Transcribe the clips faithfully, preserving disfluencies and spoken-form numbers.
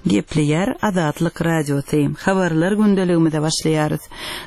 Gepleýär Azatlyk Radiosy. Habarlar gündeligimize başlaýarys.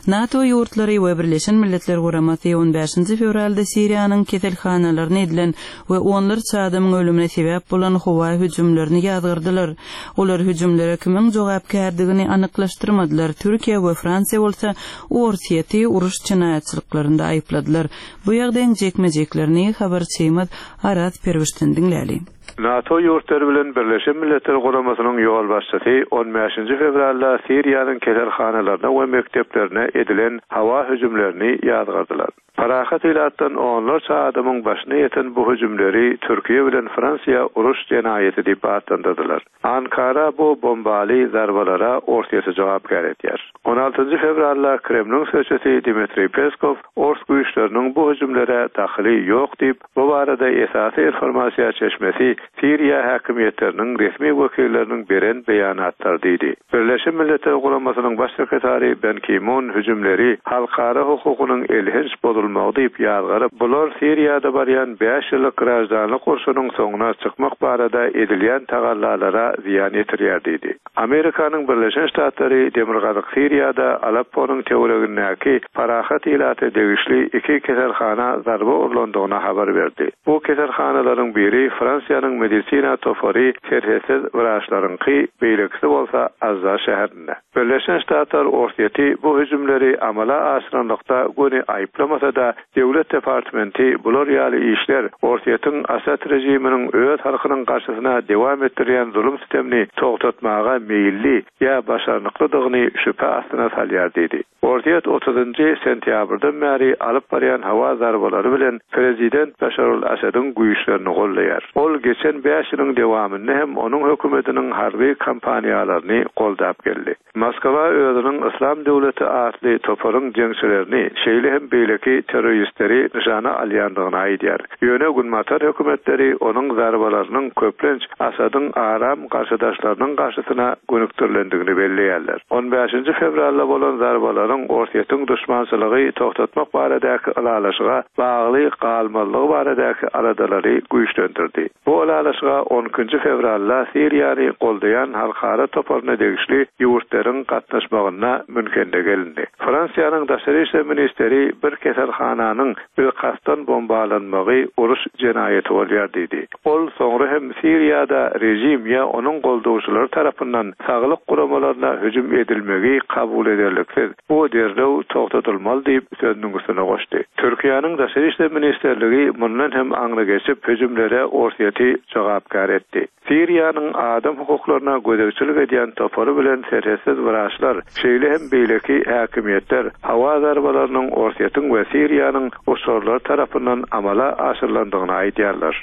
NATO ýurtlary we Birleşen Milletler Guramasy on bäşinji fewralda Siriýanyň keselhanalaryna edilen we onlarça adamyň ölümine sebäp bolan howa hüjümlerini ýazgardylar. Olar hüjümlere kimiň jogapkärdigini anyklaşdyrmadylar, Türkiýe we Fransiýa bolsa Orsýeti uruş jenaýatçylyklarynda aýypladylar. Bu ýagdaýyň jikme-jiklerini habarçymyz Araz Perwişden diňläli. NATO ýurtlary bilen Birleşen Milletler Guramasynyň ýolbaşçysy on bäşinji fewralda Siriýanyň keselhanalaryna we mekdeplerine edilen howa hüjümlerini ýazgardylar. Parahat ilatdan onlarça adamyň başyna ýeten bu hüjümleri Türkiýe bilen Fransiýa uruş jenaýaty diýip atlandyrdylar. Ankara bu bombaly zarbalara Orsýeti jogapkär edýär. On altynjy fewralda Kremliň sözçüsi Dmitriý Peskow ors güýçleriniň bu hüjümlere dahyly ýok diýip, bu barada esasy informasiýa çeşmesi Siriýa häkimiýetleriniň resmi wekilleriniň beren beýanatlary diýdi. Birleşen Milletler Guramasynyň baş sekretary Ban Ki-mun hüjümleri halkara hukugynyň elhenç bozulmagy diýip ýazgaryp, bular Siriýada barýan bäş ýyllyk graždanlyk urşunyň soňuna çykmak barada edilýän tagallalara zyýan ýetirýär diýdi. Amerikanyň Birleşen Ştatlary Demirgazyk Siriýada Alepponyň töweregindäki parahat ilata degişli iki keselhana zarba urlandygyny habar berdi. Bu keselhanalaryň biri Fransiýanyň medisina topary serhetsiz wraçlaryňky, beýlekisi bolsa Azza şäherinde. Birleşen Ştatlar Orsýeti bu hüjümleri amala aşyranlykda göni aýyplamasa-da, Döwlet departamenti bular ýaly işler Orsýetiň Asad režiminiň öz halkynyň garşysyna dewam etdirýän zulum sistemini togtatmaga meýilli ýa başarnyklydygyny şübhe astyna salýar diýdi. Orsýet otuzynjy sentýabrdan bäri alyp barýan howa zarbalary bilen prezident Başar al-Asadyň güýçlerini gollaýar. Ol geçen bäş ýylyň dewamynda hem onuň hökümetiniň harby kampaniýalaryny goldap geldi. Moskwa özüniň Islam döwleti atly toparyň jeňçilerini, şeýle hem beýleki terroristleri nyşana alýandygyny aýdýar. Ýöne Günbatar hökümetleri onuň zarbalarynyň köplenç Asadyň aram garşydaşlarynyň garşysyna gönükdirilendigini belleýärler. On bäşinji fewralda bolan zarbalaryň Orsýetiň duşmançylygy togtatmak baradaky ylalaşyga bagly galmazlygy baradaky aladalary güýçlendirdi. Bu ylalaşyga on ikinji fewralda Siriýany goldaýan halkara toparyna degişli ýurtlaryň gatnaşmagynda Münhende gelindi. Fransiýanyň daşary işler ministeri bir keselhananyň bilkastdan bombalanmagy uruş jenaýaty bolýar diýdi. Ol soňra hem Siriýada rejim ýa onuň goldawçylary tarapyndan saglyk guramalaryna hüjüm edilmegi kabul ederliksiz. Bu derrew togtatylmaly diýip sözüniň üstüne goşdy. Türkiýäniň daşary işler ministerligi mundan hem aňry geçip hüjümlere Orsýeti jogapkär etdi. Siriýanyň adam hukuklaryna gözegçilik edýän topary bilen serhetsiz wraçlar, şeýle hem beýleki häkimiýetler howa zarbalarynyň Orsýetiň we Siriýanyň uçarlary tarapyndan amala aşyrylandygyny aýdýarlar.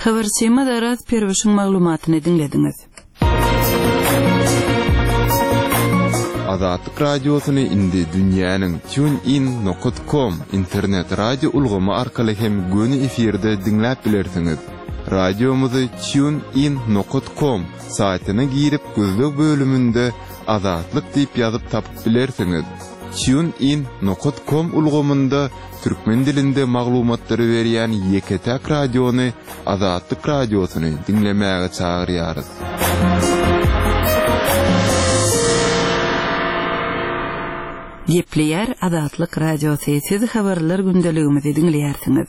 Habarçymyz Araz Perwişiň maglumatyny diňlediňiz. Azatlyk Radiosyny indi dünýäniň TuneIn nokta com internet radio ulgamy arkaly hem göni efirde diňläp bilersiňiz. Radiomyzy TuneIn nokta com saýtyna girip gözleg bölüminde Azatlyk diýip ýazyp tapyp bilersiňiz. TuneIn nokta com ulgamynda türkmen dilinde maglumatlary berýän ýeke-täk radiony Azatlyk Radiosyny diňlemäge çagyrýarys. Gepleýär Azatlyk Radiosy, siz habarlar gündeligimizi diňleýärsiňiz.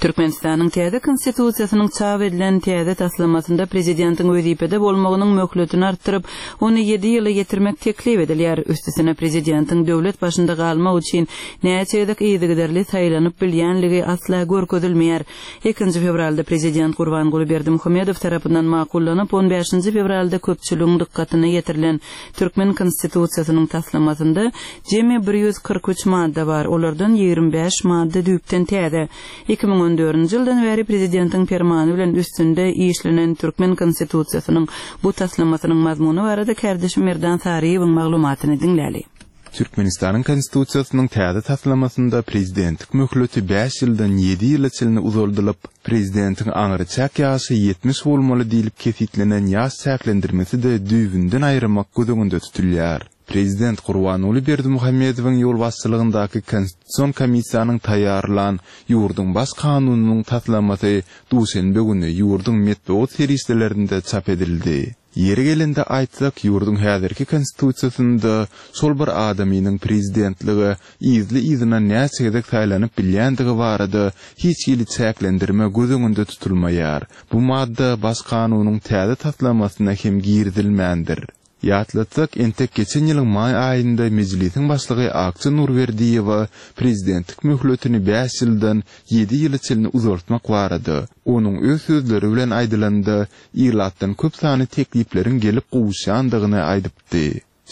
Türkmenistanyň täze konstitusiýasynyň çap edilen täze taslamasynda prezidentiň wezipede bolmagynyň möhletini artdyryp, ony ýedi ýyla ýetirmek teklip edilýär. Üstesine prezidentiň döwlet başynda galmak üçin näçe gezek yzygiderli saýlanyp bilýänligi asla görkezilmeýär. Ikinji fewralda prezident Gurbanguly Berdimuhamedow tarapyndan makullanyp, on bäşinji fewralda köpçüligiň dykgatyna ýetirilen Türkmen konstitusiýasynyň taslamasynda jemi bir ýüz kyrk üç madda bar, olardan ýigrimi bäş madda düýpden täze. Iki müň on dördünji ýyldan bäri prezidentiň permany bilen üstünde işlenen Türkmen konstitusiýasynyň bu taslamasynyň mazmuny barada kärdeşim Merdan Saryýewiň maglumatyny diňläli. Türkmenistanyň konstitusiýasynyň täze taslamasynda prezidentlik möhleti bäş ýyldan ýedi ýyla çenli uzaldylyp, prezidentiň aňry çäk ýaşy ýetmiş bolmaly diýlip kesitlenen ýaş çäklendirmesi-de düýbünden aýyrmak göz öňünde tutulýar. Prezident Gurbanguly Berdimuhamedowyň ýolbaşçylygyndaky Konstitusion komissiýanyň taýýarlan ýurduň baş kanunynyň taslamasy duşenbe güni ýurduň metbugat serişdelerinde çap edildi. Ýeri gelende aýtsak, ýurduň häzirki konstitusiýasynda şol bir adamynyň prezidentlige yzly-yzyna näçe gezek saýlanyp bilýändigi barada hiç hili çäklendirme göz öňünde tutulmaýar. Bu madda Baş kanunyň täze taslamasyna hem girizilmändir. Ýatlatsak, entek geçen ýylyň maý aýynda Mejlisiň başlygy Akja Nurberdiýewa prezidentlik möhletini bäş ýyldan ýedi ýyla çenli uzaltmak barada, onuň öz sözleri bilen aýdylanda, ilatdan köp sanly teklipleriň gelip gowuşýandygyny aýdypdy.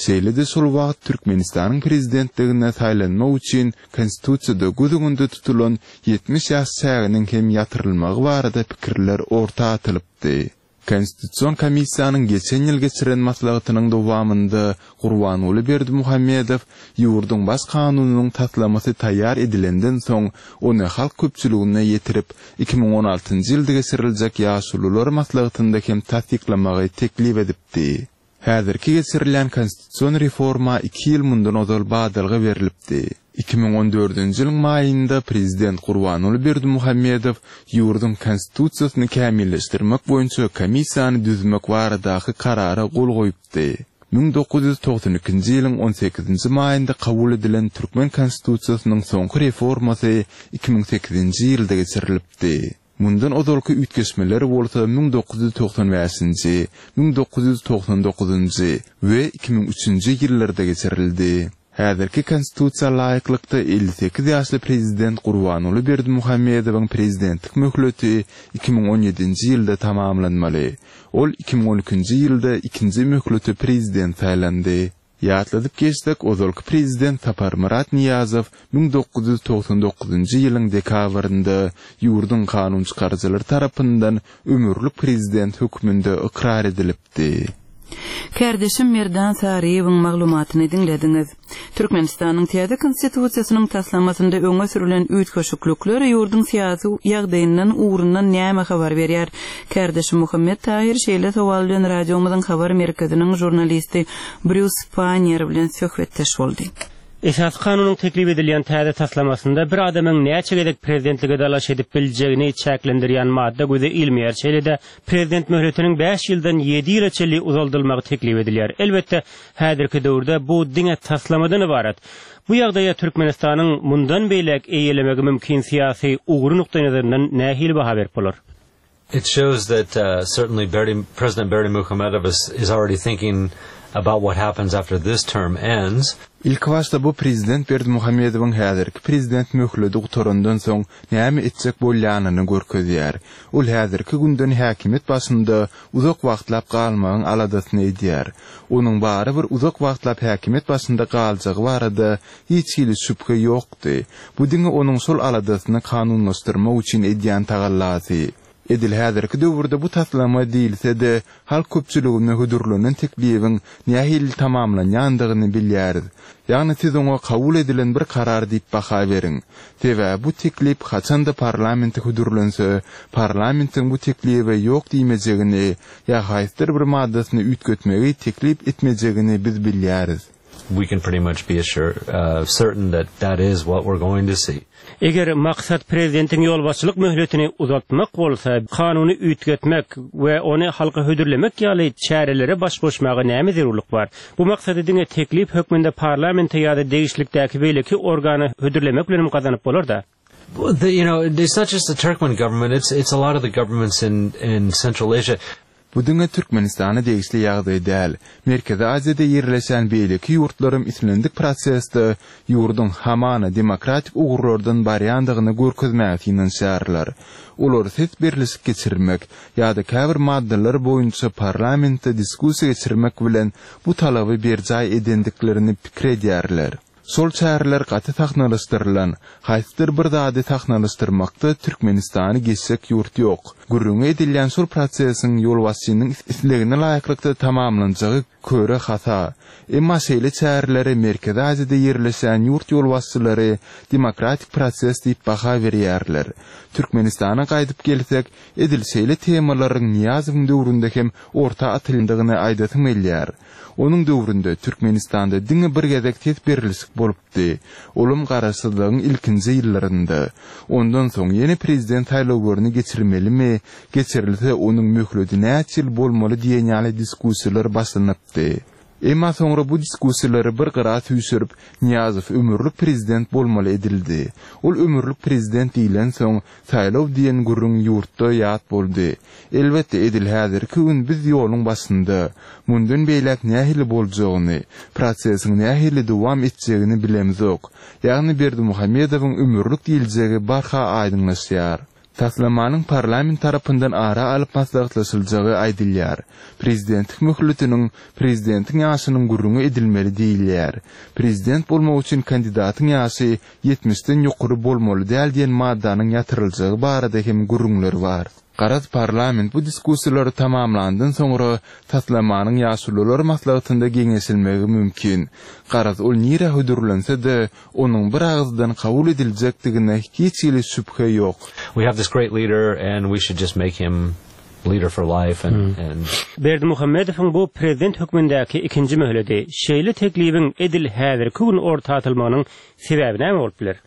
Şeýle-de şol wagt Türkmenistanyň prezidentligine saýlanmak üçin Konstitusiýada göz öňünde tutulan ýetmiş ýaş çäginiň hem ýatyrylmagy barada pikirler orta atylypdy. Konstitusion komissiýanyň geçen ýyl geçiren maslahatynyň dowamynda Gurbanguly Berdimuhamedow ýurduň Baş kanunynyň taslamasy taýýar edilenden soň, ony halk köpçüligine ýetirip, iki müň on altynjy ýylda geçiriljek Ýaşulular maslahatynda hem tassyklamagy teklip edipdi. Häzirki geçirilýän konstitusion reforma iki ýyl mundan ozal badalga berlipdi. Iki müň on dördünji ýylyň maýynda prezident Gurbanguly Berdimuhamedow ýurduň konstitusiýasyny kämilleşdirmek boýunça komissiýany düzmek baradaky karara gol goýupdy. Müň dokuz ýüz togsan ikinji ýylyň on sekizinji maýynda kabul edilen türkmen konstitusiýasynyň soňky reformasy iki müň sekizinji ýylda geçirilipdi. Mundan ozalky üýtgeşmeler bolsa müň dokuz ýüz togsan bäşinji, müň dokuz ýüz togsan dokuzynjy we iki müň üçünji ýyllarda geçirildi. Häzirki konstitusiýa laýyklykda elli sekiz ýaşly prezident Gurbanguly Berdimuhamedowyň prezidentlik möhleti iki müň on ýedinji ýylda tamamlanmaly. Ol iki müň on ikinji ýylda ikinji möhlete prezident saýlandy. Ýatladyp geçsek, ozalky prezident Saparmyrat Nyýazow müň dokuz ýüz togsan dokuzynjy ýylyň dekabrynda ýurduň kanunçykaryjylary tarapyndan ömürlik prezident hökmünde ykrar edilipdi. Kärdeşim Merdan Saryýewiň maglumatyny diňlediňiz. Türkmenistanyň täze konstitusiýasynyň taslamasynda öňe sürülen üýtgeşiklikler ýurduň syýasy ýagdaýyndan ugrundan näme habar berýär? Kärdeşim Muhammet Tahir şeýle sowal bilen radiomyzyň habar merkeziniň žurnalisti Brýus Pannier bilen söhbetdeş boldy. Esas kanunyň teklip edilýän täze taslamasynda bir adamyň näçe gezek prezidentlige dalaş edip biljegini çäklendirýän madda göze ilmeýär. Şeýle-de prezident möhletiniň bäş ýyldan ýedi ýyla çenli uzaldylmagy teklip edilýär. Elbetde, häzirki döwürde bu diňe taslamadan ibarat. Bu ýagdaýa Türkmenistanyň mundan beýläk eýelemegi mümkin syýasy ugry nukdaýnazaryndan nähili baha berip bolar? It shows that, uh, certainly Berdi, President Berdimuhamedov is, is already thinking about what happens after this term ends. Ilk başda bu prezident Berdimuhamedowyň häzirki prezident möhleti gutarandan soň näme etjek bolýanyny görkezýär. Ol häzirki günden häkimiýet başynda uzak wagtlap galmagyň aladasyny edýär. Onuň bary bir uzak wagtlap häkimiýet başynda galjagy barada hiç hili şübhe ýokdy. Bu diňe onuň şol aladasyny kanunlaşdyrmak üçin edýän tagallasy. Edil häzirki döwürde bu taslama diýilse-de, halk köpçüligine hödürlenen teklibiň nähili tamamlanýandygyny bilýäris. Ýagny siz oňa kabul edilen bir karar diýip baha beriň. Sebäbi bu teklip haçanda parlamente hödürlense, parlamentiň bu teklibe ýok diýmejegini ýa haýsydyr bir maddasyny üýtgetmegi teklip etmejegini biz bilýäris. We can pretty much be assured, uh, certain that that is what we're going to see. Eger maksat prezidentiň ýolbaşçylyk möhletini uzatmak bolsa, kanuny üýtgetmek we ony halka hödürlemek ýaly çärelere baş goşmaga näme zerurlyk bar? Bu maksady diňe teklip hökmünde parlamente ýa-da degişlikdäki beýleki organa hödürlemek bilen gazanyp bolar da. Well, the, you know, it's not just the Turkmen government, it's, it's a lot of the governments in, in Central Asia. Bu diňe Türkmenistana degişli ýagdaý däl. Merkezi Aziýada ýerleşen beýleki ýurtlaryň islendik prosesde ýurduň hamana demokratik ugurlardan barýandygyny görkezmäge synanyşýarlar. Olar ses berlişik geçirmek ýa-da käbir maddalar boýunça parlamentde diskussiýa geçirmek bilen bu talaby berjaý edendiklerini pikir edýärler. Şol çäreler gaty sahnalaşdyrylan, haýsydyr bir zady sahnalaşdyrmakda Türkmenistany geçjek ýurt ýok. Gürrüňi edilýän şol prosesiň ýolbaşçynyň islegine laýyklykda tamamlanjagy köre hasa. Emma şeýle çäreleri Merkezi Aziýada ýerleşen ýurt ýolbaşçylary demokratik proses diýip baha berýärler. Türkmenistana gaýdyp gelsek, edil şeýle temalaryň Nyýazowyň döwründe hem orta atyldygyny aýdasym gelýär. Onuň döwründe Türkmenistanda diňe bir gezek ses berilişik bolupdy. Olam garaşsyzlygyň ilkinji ýyllarynda. Ondan soň ýene prezident saýlawlaryny geçirmelimi, geçirilse onuň möhleti näçe ýyl bolmaly diýen ýaly diskussiýalar başlanypdy. Emma soňra bu diskussiýalary bir gyra süýşürip, Nyýazow ömürlik prezident bolmaly edildi. Ol ömürlik prezident diýlensoň, saýlaw diýen gürrüň ýurtda ýat boldy. Elbetde edil häzirki gün biz ýoluň başynda. Mundan beýläk nähili boljagyny, prosesiň nähili dowam etjegini bilemzok. Ýagny Berdimuhamedowyň ömürlik diýiljegi barha aýdyňlaşýar. Taslamanyň parlament tarapyndan ara alyp maslahatlaşyljagy aýdylýar. Prezidentlik möhletiniň prezidentiň ýaşynyň gürrüňi edilmeli diýilýär. Prezident bolmak üçin kandidatyň ýaşy ýetmişden ýokary bolmaly däl diýen maddanyň ýatyryljagy barada hem gürrüňler bar. Garaz parlament bu diskussiýalary tamamlandan soňra taslamanyň ýaşulular maslahatynda geňeşilmegi mümkin. Garaz ol nirä hödürlense-de, onuň bir agyzdan kabul ediljekdigine hiç hili şübhe ýok. We have this great leader and we should just make him leader for life and, and Berdimuhamedowyň bu prezident hökmündäki ikinji möhleti, şeýle teklibiň edil häzirki gün orta atylmagynyň sebäbi näme bolup biler?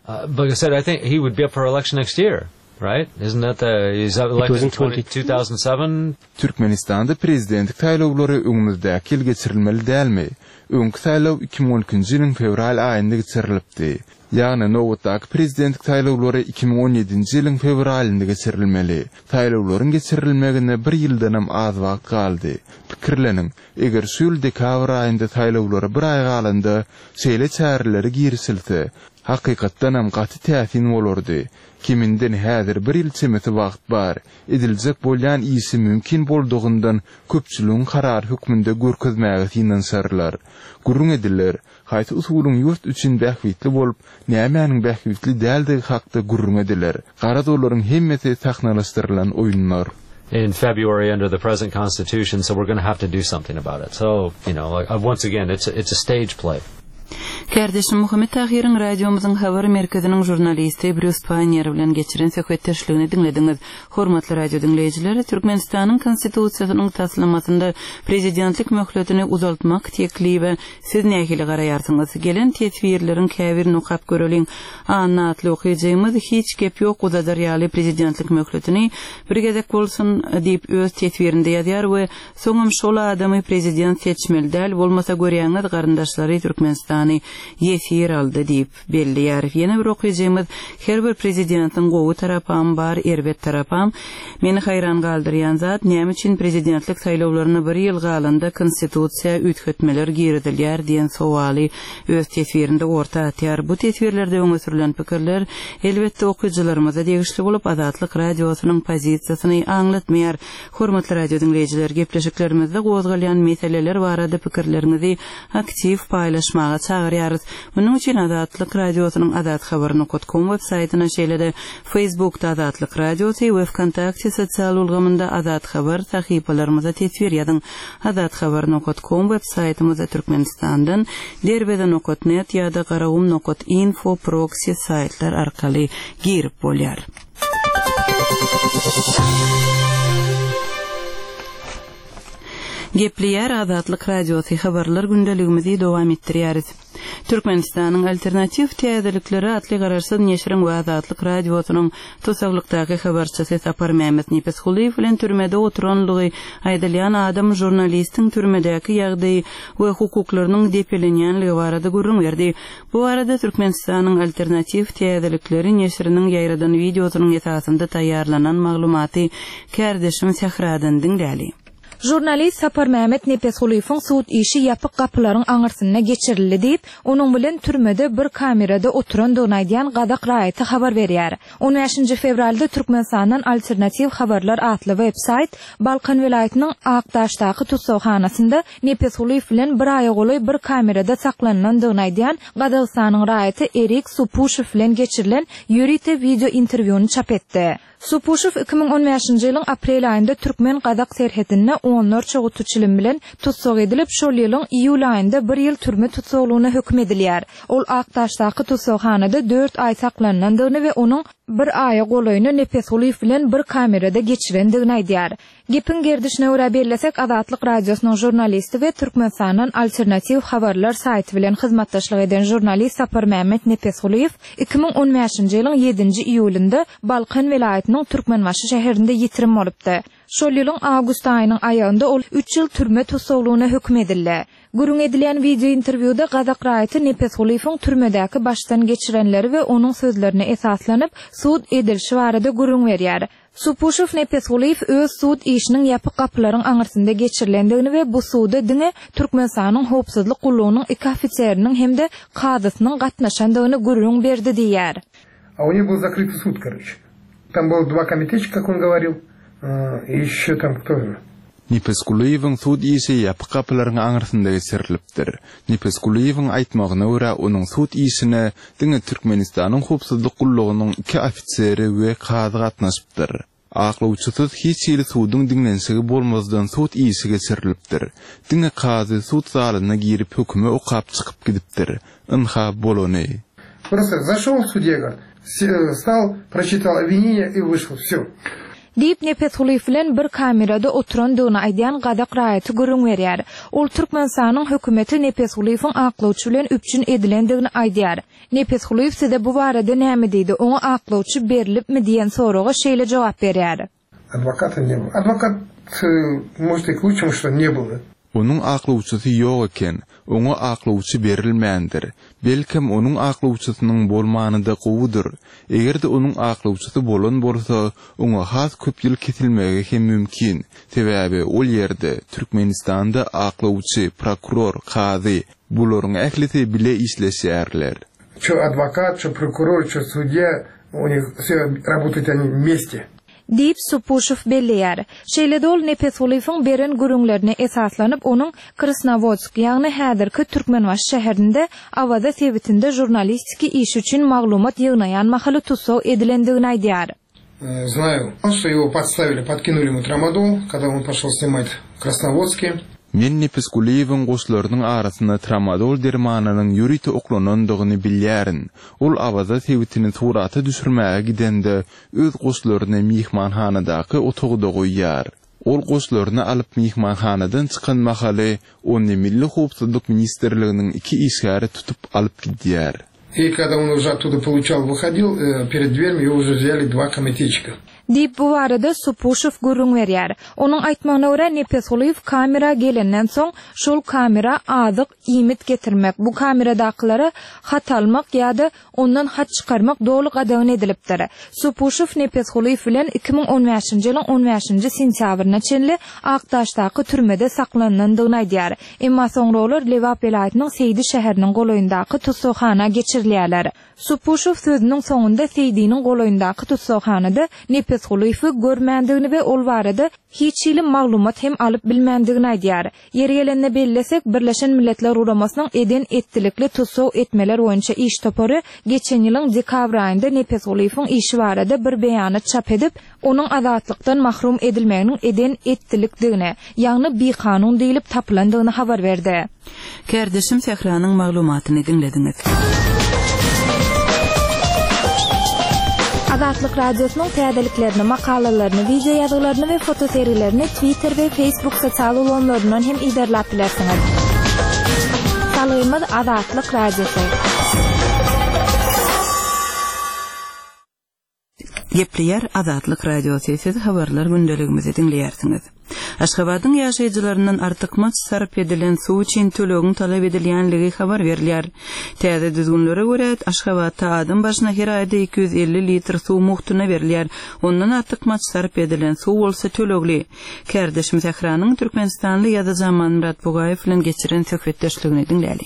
Uh, like I said, I think he would be up for election next year, right? Isn't that the he's up elected in twenty- two thousand seven? Türkmenistanda prezidentlik saýlawlary öňümizdäki ýyl geçirilmeli dälmi? Öňki saýlaw iki müň on ikinji ýylyň fewral aýynda geçirilipdi. Ýagny nobatdaky prezidentlik saýlawlary iki müň on ýedinji ýylyň fewralynda geçirilmeli. Saýlawlaryň geçirilmegine bir ýyldanam az wagt galdy. Pikirleniň, eger şu ýyl dekabr aýynda saýlawlary bir aý galanda şeýle çäreleri girişilse, hakykatdanam gaty täsin bolardy. Kiminden häzir bir ýyl çemesi wagt bar, ediljek bolýan işi mümkin boldugyndan köpçüligiň karar hökmünde görkezmäge synanyşarlar. Gürrüň ediler, haýsy usulyň ýurt üçin bähbitli bolup, nämäniň bähbitli däldigi hakda gürrüň ediler. Garaz olaryň hemmesi sahnalaşdyrylan oýunlar. In February under the present constitution, so we're gonna have to do something about it. So, you know, like, uh, once again, it's a, it's a stage play. Kardeşim Muhammet Tahirin radiomyzyň habar merkeziniň jurnalisti Brýus Pannier bilen geçiren söhbetdeşligini diňlediňiz. Hormatly radio diňleýjiler, Türkmenistanyň konstitusiýasynyň taslamasynda prezidentlik möhletini uzaltmak teklibi siz nähili garaýarsyňyz? Gelen teswirleriň käbirini okap göreliň. Anna atly okyjymyz hiç gep ýok uzadar ýaly prezidentlik möhletini bir gezek bolsun diýip öz teswirinde ýazýar we soňam şol adamy prezident seçmeli däl, bolmasa görýäňiz garyndaşlary Türkmenistany ýesir aldy diýip belleýär. Ýene bir okyjymyz her bir prezidentiň gowy tarapam bar, erbet tarapam. Meni haýran galdyrýan zat näme üçin prezidentlik saýlawlaryna bir ýyl galanda konstitusiýa üýtgetmeler girizilýär diýen sowaly öz teswirinde orta atýar. Bu teswirlerde öňe sürülen pikirler elbetde okyjylarymyza degişli bolup Azatlyk radiosynyň pozisiýasyny aňlatmaýar. Hormatly radio diňleýjiler, gepleşiklerimizde gozgalýan meseleler barada pikirleriňizi aktiw paýlaşmaga çagyrýarys. Munuň üçin Azatlyk radiosynyň Azat habar nokta com web saýtyna, şeýle-de Facebookda Azatlyk radiosy we Vkontakte sosial ulgamynda Azat habar sahypalarymyza teswir ýazyň. Azat habar nokta com web saýtymyzda Türkmenistandan derbeze nokta net ýa-da garagum nokta info proxy saýtlar arkaly girip bolýar. Gepleýär Azatlyk radiosy habarlar gündeligimizi dowam etdirýäris. Türkmenistanyň alternatiw täzelikleri atly garaşsyz neşiriň we Azatlyk radiosynyň tusaglykdaky habarçysy Sapar Mehmet Nepesgulyýew bilen türmede oturanlygy aýdylýan adam jurnalistiň türmedäki ýagdaýy we hukuklarynyň depelenýänligi barada gürrüň berdi. Bu arada Türkmenistanyň alternatiw täzelikleri neşiriniň ýaýradan wideosynyň esasynda taýýarlanan maglumaty kärdeşim Sähradan diňläli. Jurnalist Sapar Mehmet Nepesgulyýewiň sud işi ýapyk gapylaryň aňyrsynda geçirildi diýip, onuň bilen türmede bir kamerada oturandygyny aýdýan gazak raýaty habar berýär. on bäşinji fewralda Türkmenistandan alternatiw habarlar atly web-saýt Balkan welaýatynyň Akdaşdaky tussaghanasynda Nepesgulyýew bilen bir aýa golaý bir kamerada saklanylandygyny aýdýan Gazagystanyň raýaty Erik Supuşew bilen geçirilen ýörite video interwýuny çap etdi. Supuşew iki müň on bäşinji ýylyň aprel aýynda Türkmen-Gazak serhedinde onlarça guty çilim bilen tussag edilip, şol ýylyň iýul aýynda bir ýyl türme tussaglygyna höküm edilýär. Ol Akdaşdaky tussaghanada dört aý saklanylandygyny we onuň bir aýa golaýyny Nepesgulyýew bilen bir kamerada geçirendigini aýdýar. Gepiň gerdişine görä bellesek, Azatlyk Radiosynyň žurnalisti we Türkmenistandan alternatiw habarlar saýty bilen hyzmatdaşlyk eden žurnalist Saparmämmet Nepesgulyýew iki müň on bäşinji ýylyň ýedinji iýulynda Balkan welaýatynyň Türkmenbaşy şäherinde ýitirim bolupdy. Şol ýylyň awgust aýynyň aýagynda ol üç ýyl türme tussaglygyna höküm edildi. Gürrüň edilýän wideo interwýuda gazak raýaty Nepesgulyýewiň türmedäki başdan geçirenleri we onuň sözlerine esaslanyp sud edilişi barada gürrüň berýär. Supuşow Nepesgulyýew öz sud işiniň ýapyk gapylaryň aňyrsynda geçirilendigini we bu suda diňe Türkmenistanyň howpsuzlyk gullugynyň iki ofiseriniň hem-de kazysynyň gatnaşandygyny gürrüň berdi diýýär. А у них был закрытый суд, короче. Там было два комитетчика, как он говорил, и еще там кто? Nepesgulyýewiň sud işi ýapyk gapylaryň aňyrsynda geçirilipdir. Nepesgulyýewiň aýtmagyna görä onuň sud işine diňe Türkmenistanyň howpsuzlyk gullugynyň iki ofiseri we kazy gatnaşypdyr. Aklawçysyz hiç hili suduň diňlenişigi bolmazdan sud işi geçirilipdir. Diňe kazy sud zalyna girip hökümi okap çykyp gidipdir. Ynha bolany. Просто зашел судья, говорит, стал, прочитал обвинение и вышел. Все. Diýip Nepesgulyýew bilen bir kamerada oturandygyny aýdýan gazak raýaty gürrüň berýär. Ol Türkmenistanyň hökümeti Nepesgulyýewiň aklawçy bilen üpjün edilendigini aýdýar. Nepesgulyýew size bu barada näme diýdi? Oňa aklawçy berilipmi diýen soraga şeýle jogap berýär. Адвоката не было. Адвокат, может, и к лучшему, что не было. Onuň aklawçysy ýok eken, oňa aklawçy berilmändir. Belkem onuň aklawçysynyň bolmany-da gowudyr. Eger-de onuň aklawçysy bolan bolsa, oňa has köp ýyl kesilmegi hem mümkin. Sebäbi ol ýerde Türkmenistanda aklawçy, prokuror, kazy bularyň ählisi bile işleşýärler. Чё адвокат, чё прокурор, чё судья, у них все работают они вместе. Diýip Supuşow belleýär. Şeýle-de ol Nepesgulyýewiň beren gürrüňlerine esaslanyp, onuň Krasnowodsk, ýagny häzirki Türkmenbaşy şäherinde Awaza sebitinde žurnalistiki iş üçin maglumat ýygnaýan mahaly tussag edilendigini aýdýar. Знаю, что его подставили, подкинули ему трамадол, когда он пошел снимать в Красноводске. Men Nepesgulyýewiň goşlarynyň arasynda tramadol dermanynyň ýörite oklanandygyny bilýärin. Ol Awaza sebitini surata düşürmäge gidende öz goşlaryny mehmanhanadaky otagda goýýar. Ol goşlaryny alyp mehmanhanadan çykan mahaly ony Milli howpsuzlyk ministrliginiň iki işgäri tutup alyp gidýär. И когда он уже оттуда получал, выходил, перед дверью его уже взяли два комитетчика. Diýip bu barada Supuşow gürrüň berýär. Onuň aýtmagyna görä Nepesgulyýew kamera gelenden soň şol kamera azyk iýmit getirmek, bu kameradakylara hat almak ýa-da ondan hat çykarmak doly gadagan edilipdir. Supuşow Nepesgulyýew bilen iki müň on bäşinji ýylyň on bäşinji sentýabryna çenli Akdaşdaky türmede saklanandygyny aýdýar. Emma soňra olar Lebap welaýatynyň Seýdi şäheriniň golaýyndaky tussaghana geçirilýärler. Supuşow sözüniň soňunda Seýdiniň golaýyndaky tussaghanada Nepesgulyýewi görmändigini we ol barada hiç hili maglumat hem alyp bilmändigini aýdýar. Ýeri gelende bellesek, Birleşen Milletler Guramasynyň eden etdilikli tussag etmeler boýunça iş topary geçen ýylyň dekabr aýynda Nepesgulyýewiň işi barada bir beýanat çap edip, onuň azatlykdan mahrum edilmeginiň eden etdilikdigini, ýagny bikanun diýilip tapylandygyny habar berdi. Kärdeşim Sähranyň maglumatyny diňlediňiz. Azatlyk Radiosynyň täzeliklerini, makalalaryny, video ýazgylaryny we fotoserilerini Twitter we Facebook sosial ulgamlaryndan hem iderläp bilersiňiz. Salgymyz Azatlyk Radiosy. Gepleýär Azatlyk Radiosy, siz habarlar gündeligimizi diňleýärsiňiz. Aşgabadyň ýaşaýjylaryndan artykmaç sarp edilen suw üçin tölegiň talap edilýänligi habar berilýär. Täze düzgünlere görä Aşgabatda adam başyna her aýda iki ýüz elli litr suw muhtuna berilýär. Ondan artykmaç sarp edilen suw bolsa tölegli. Kärdeşim Sähranyň Türkmenistanly ýazyjy Amanmyrat Bugaýew bilen geçiren söhbetdeşligini diňläli.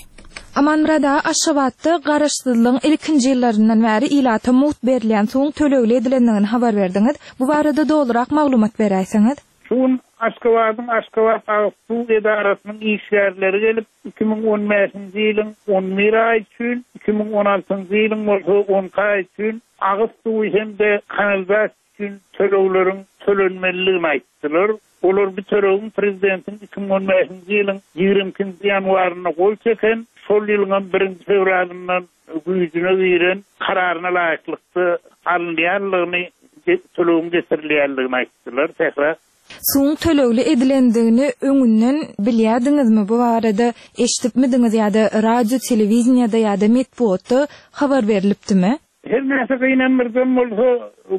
Amanmyrat aga, Aşgabatda garaşsyzlygyň ilkinji ýyllaryndan bäri ilata muht berilýän suwuň tölegli edilendigini habar berdiňiz. Bu barada dogrurak maglumat beräýseňiz. Şu gün Aşgabadyň Aşgabat agyz suw edarasynyň işgärleri gelip iki müň on bäşinji ýylyň on bir aý üçin, iki müň on altynjy ýylyň bolsa on iki aý üçin agyz suwy hem-de kanalizasiýa üçin tölegleriň tölenmelidigini aýtdylar. Olar bu tölegiň prezidentiň iki müň on bäşinji ýylyň ýigrimi ikinji ýanwarynda gol çeken, şol ýylyň birinji fewralyndan güýjüne giren kararyna laýyklykda alynýanlygyny, tölegiň getirilýänligini aýtdylar. Sähra. Suwuň tölegli edilendigini öňünden bilýärdiňizmi? Bu barada eşitipmidiňiz ýa-da radio, telewiziyada ýa-da metbugatda habar berilipdimi? Her näçe gynandyrdan bolsa,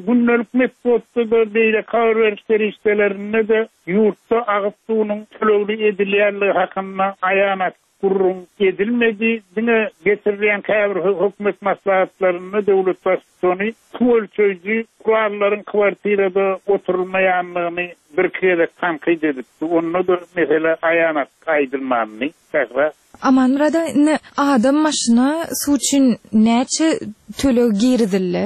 gündelik metbugatda da beýle habar beriş serişdelerinde de ýurtda agyz suwunyň tölegli edilýänligi hakynda aýan gurrun edilmedi. Diňe getirilýän käbir hökümet maslahatlarynda döwlet baştutany suw ölçeýji gurallaryň kwartirada oturulmaýanlygyny bir gezek tankyt edipdi. Onda da mesele aýan aýdylmandy. Sähra. Amanmurada, indi adam maşyna suw üçin näçe töleg girizildi?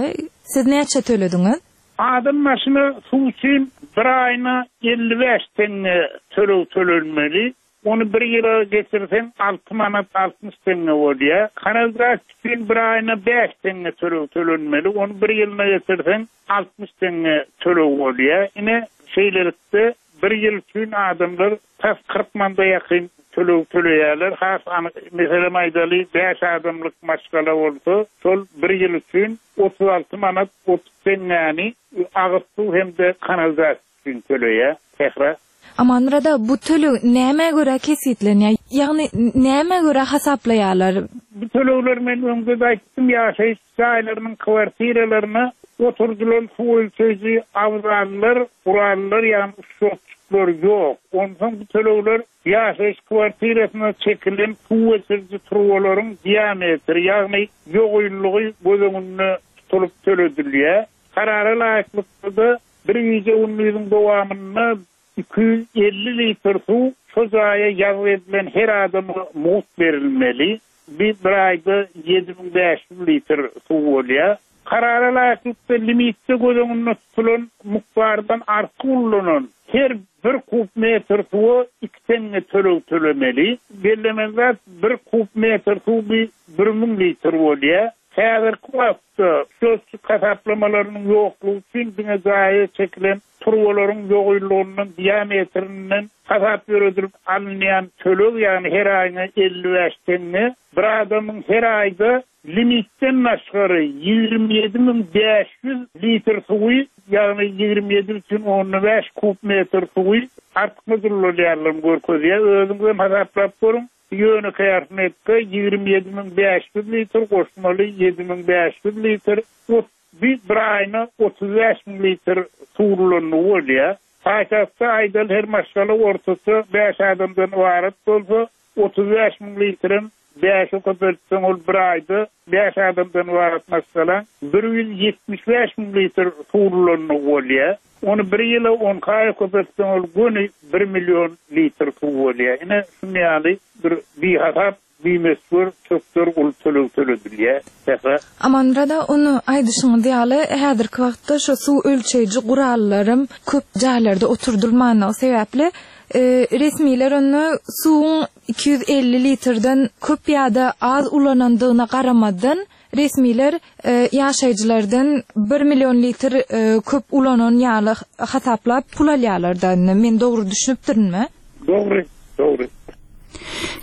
Siz näçe tölediňiz? Adam maşyna suw üçin bir aýyna elli bäş tenge töleg tölenmeli. Onu bir ýyla getirseň alty manat altmyş tenge bolýar. Kanalizasiýa üçin bir aýyna bäş tenge töleg tölenmeli. Onu bir ýylyna getirseň altmyş tenge töleg bolýar. Ine şeýlelikde bir ýyl üçin adamlar tas kyrk manda ýakyn töleg töleýärler. Has anyk meselem aýdaly bäş adamlyk maşgala bolsa, şol bir ýyl üçin otuz alty manat otuz tengäni agyz suw hem-de kanalizasiýa üçin töleýär. Sähra. Amanmurada, bu töleg nämä görä kesgitlenýär? Ýagny nämä görä hasaplaýarlar? Bu tölegler men öňde aýtdym, ýaşaýyş jaýlarynyň kwartiralaryna oturdylan suw ölçeýji abzallar, gurallar, ýagny şotçuklar ýok. Onsoň bu tölegler ýaşaýyş kwartirasyna çekilen suw geçiriji turbalaryň diametri, ýagny ýogynlygy göz öňünde tutulyp töledilýär. Karara laýyklykda bir gije gündiziň dowamynda iki ýüz elli litr suw şu jaýa ýazgy edilen her adama mugt berilmeli. Bir, bir aýda ýedi müň bäş ýüz litr suw bolýar. Karara laýyklykda limitde göz öňünde tutulan mukdardan artyk ullanan her bir kub metr suwa iki tenge töleg tölemeli. Bellemeli zat, bir kub metr suw bir, bir müň litr bolýar. Häzirki wagtda şötçük hasaplamalarynyň ýoklugy üçin diňe jaýa çekilen turbalaryň ýogynlygyndan diametrinden hasap ýöredilip alynýan töleg, ýagny her aýyna elli bäş tenge, bir adamyň her aýda limitden başgary ýigrimi ýedi müň bäş ýüz litr suwy, ýagny ýigrimi ýedi bütün on bäş kub metr suwy artykmaç ullanýarlaryny görkezýär. Özüňiz hem hasaplap görüň. Ýönekeý arifmetika ýigrimi ýedi müň bäş ýüz litr goşmaly ýedi müň bäş ýüz litr, ot, bir, bir aýyna otuz bäş müň litr suw ullandygy bolýar. Paýtagtda aýdal her maşgala ortaça bäş adamdan ybarat bolsa, otuz bäş müň litrem bäşe köpeltseň ol bir aýda bäş adamdan ybarat maşgala bir ýüz ýetmiş bäş müň litr suw ullandygy bolýar. Onu bir ýyla on aýa köpeltseň ol göni bir million litr suw bolýar. Ine şuny ýaly bir bihasap, bimesgür çökder uly töleg töledilýär. Sähra. Amanmurada, ony aýdyşyňyz ýaly, häzirki wagtda şu suw ölçeýji gurallarym köp jaýlarda oturdylmanlygy sebäpli, e, resmiler ony suwuň iki ýüz elli litrden köp ýa-da az ulanandygyna garamadan resmiler, e, ýaşaýjylardan bir million litr, e, köp ulanan ýaly hasaplap pul alýarlar da. Men dogry düşünipdirinmi? Dogry, dogry.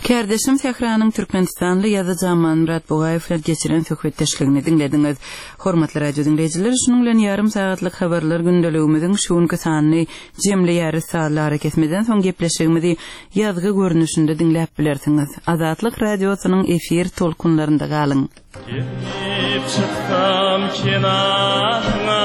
Kärdeşim Sähranyň Türkmenistanly ýazyjy Amanmyrat Bugaýew bilen geçiren söhbetdeşligini diňlediňiz. Hormatly radio diňleýjiler, şunuň bilen ýarym sagatlyk habarlar gündeligimiziň şu günki sanyny jemleýäris. Sazly arakesmeden soň gepleşigimizi ýazgy görnüşinde diňläp bilersiňiz. Azatlyk radiosynyň efir tolkunlarynda galyň. Gelip çyksam kenaryňa.